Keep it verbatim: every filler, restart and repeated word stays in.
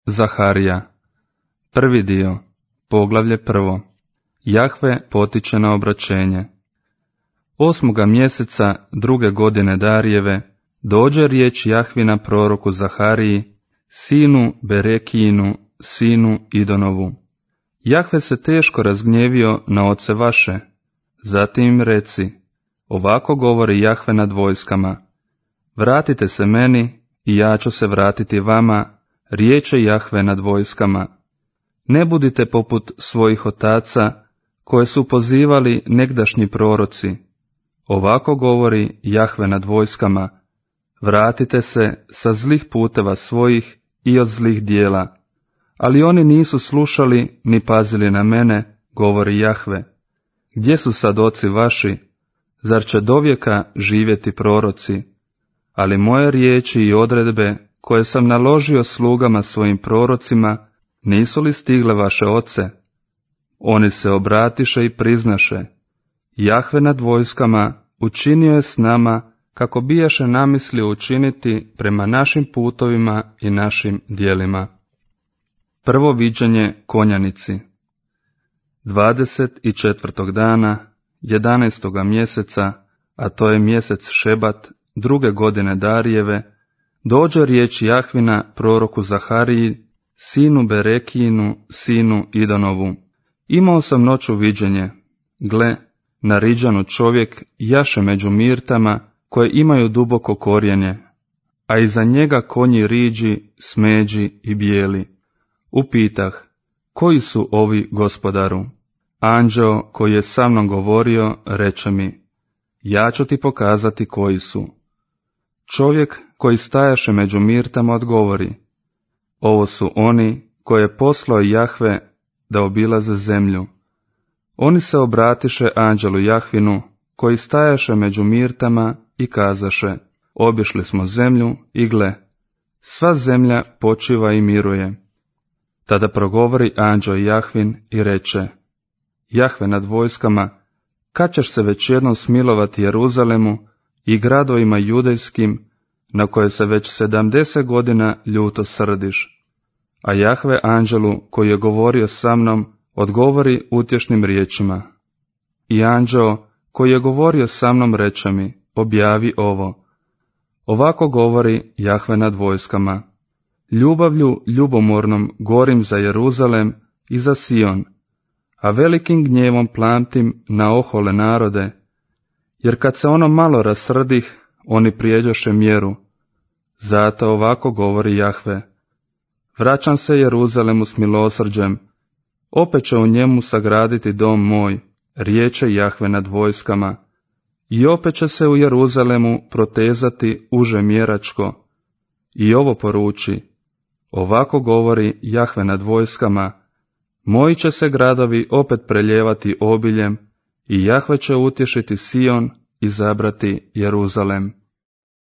Zaharija. Prvi dio, poglavlje prvo. Jahve potiče na obraćenje. Osmoga mjeseca druge godine Darijeve dođe riječ Jahvina proroku Zahariji, sinu Berekijinu, sinu Idonovu. Jahve se teško razgnjevio na oce vaše. Zatim im reci, ovako govori Jahve nad vojskama, vratite se meni i ja ću se vratiti vama, riječe Jahve nad vojskama. Ne budite poput svojih otaca, koje su pozivali negdašnji proroci. Ovako govori Jahve nad vojskama, vratite se sa zlih puteva svojih i od zlih dijela. Ali oni nisu slušali ni pazili na mene, govori Jahve. Gdje su sad oci vaši? Zar će dovijeka živjeti proroci? Ali moje riječi i odredbe, koje sam naložio slugama svojim prorocima, nisu li stigle vaše oce? Oni se obratiše i priznaše, Jahve nad vojskama učinio je s nama kako bijaše namislio učiniti prema našim putovima i našim djelima. Prvo viđenje konjanici. Dvadeset i četvrtog dana, jedanaestoga mjeseca, a to je mjesec Šebat, druge godine Darijeve, dođe riječ Jahvina proroku Zahariji, sinu Berekijinu, sinu Idonovu. Imao sam noću viđenje. Gle, na Riđanu čovjek jaše među mirtama koje imaju duboko korijenje, a iza njega konji riđi, smeđi i bijeli. Upitah, koji su ovi, gospodaru? Anđeo koji je sa mnom govorio reče mi, ja ću ti pokazati koji su. Čovjek koji stajaše među mirtama odgovori, ovo su oni koje je poslao Jahve da obilaze zemlju. Oni se obratiše anđelu Jahvinu, koji stajaše među mirtama i kazaše, obišli smo zemlju i gle, sva zemlja počiva i miruje. Tada progovori anđeo Jahvin i reče, Jahve nad vojskama, kad ćeš se već jednom smilovati Jeruzalemu i gradovima judejskim, na koje se već sedamdeset godina ljuto srdiš? A Jahve anđelu koji je govorio sa mnom odgovori utješnim riječima. I anđeo koji je govorio sa mnom reče mi, objavi ovo. Ovako govori Jahve nad vojskama, ljubavlju ljubomornom gorim za Jeruzalem i za Sion, a velikim gnjevom plantim na ohole narode, jer kad se ono malo rasrdih, oni prijeđoše mjeru. Zato ovako govori Jahve, vraćam se Jeruzalemu s milosrđem, opet će u njemu sagraditi dom moj, riječe Jahve nad vojskama, i opet će se u Jeruzalemu protezati uže mjeračko. I ovo poruči, ovako govori Jahve nad vojskama, moji će se gradovi opet preljevati obiljem, i Jahve će utješiti Sion i zabrati Jeruzalem.